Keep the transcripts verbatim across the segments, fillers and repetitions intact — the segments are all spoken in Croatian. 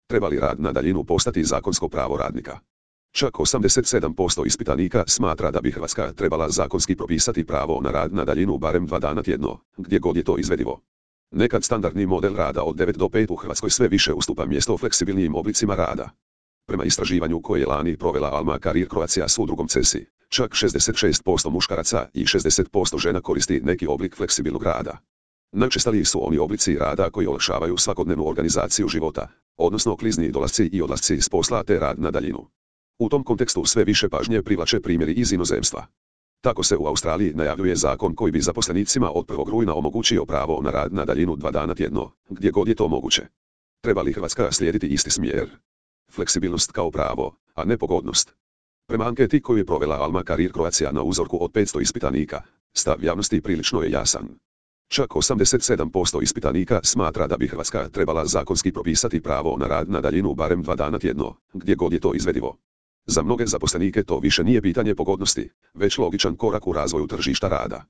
Treba li rad na daljinu postati zakonsko pravo radnika? Čak osamdeset sedam posto ispitanika smatra da bi Hrvatska trebala zakonski propisati pravo na rad na daljinu barem dva dana tjedno, gdje god je to izvedivo. Nekad standardni model rada od devet do pet u Hrvatskoj sve više ustupa mjesto fleksibilnijim oblicima rada. Prema istraživanju koje je lani provela Alma Career Croatia s udrugom CESI, čak šezdeset šest posto muškaraca i šezdeset posto žena koristi neki oblik fleksibilnog rada. Najučestaliji su oni oblici rada koji olakšavaju svakodnevnu organizaciju života, odnosno klizni dolasci i odlasci s posla te rad na daljinu. U tom kontekstu sve više pažnje privlače primjeri iz inozemstva. Tako se u Australiji najavljuje zakon koji bi zaposlenicima od prvog rujna omogućio pravo na rad na daljinu dva dana tjedno, gdje god je to moguće. Treba li Hrvatska slijediti isti smjer? Fleksibilnost kao pravo, a ne pogodnost. Prema anketi koju je provela Alma Career Croatia na uzorku od petsto ispitanika, stav javnosti prilično je jasan. Čak osamdeset sedam posto ispitanika smatra da bi Hrvatska trebala zakonski propisati pravo na rad na daljinu barem dva dana tjedno, gdje god je to izvedivo. Za mnoge zaposlenike to više nije pitanje pogodnosti, već logičan korak u razvoju tržišta rada.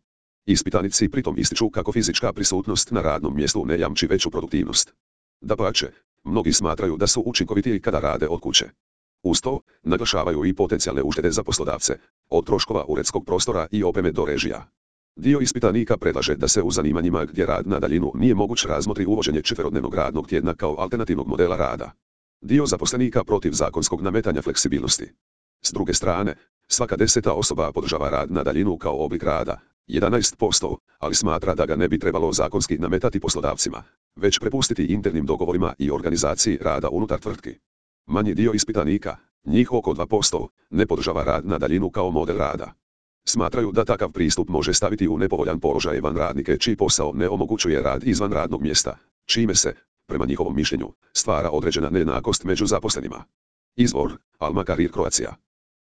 Ispitanici pritom ističu kako fizička prisutnost na radnom mjestu ne jamči veću produktivnost. Dapače, mnogi smatraju da su učinkovitiji kada rade od kuće. Uz to, naglašavaju i potencijalne uštede za poslodavce, od troškova uredskog prostora i opreme do režija. Dio ispitanika predlaže da se u zanimanjima gdje rad na daljinu nije moguć razmotri uvođenje četverodnevnog radnog tjedna kao alternativnog modela rada. Dio zaposlenika protiv zakonskog nametanja fleksibilnosti. S druge strane, svaka deseta osoba podržava rad na daljinu kao oblik rada, jedanaest posto, ali smatra da ga ne bi trebalo zakonski nametati poslodavcima, već prepustiti internim dogovorima i organizaciji rada unutar tvrtki. Manji dio ispitanika, njih oko dva posto, ne podržava rad na daljinu kao model rada. Smatraju da takav pristup može staviti u nepovoljan položaj van radnike čiji posao ne omogućuje rad izvan radnog mjesta, čime se, prema njihovom mišljenju, stvara određena nejednakost među zaposlenima. Izvor: Alma Career Croatia.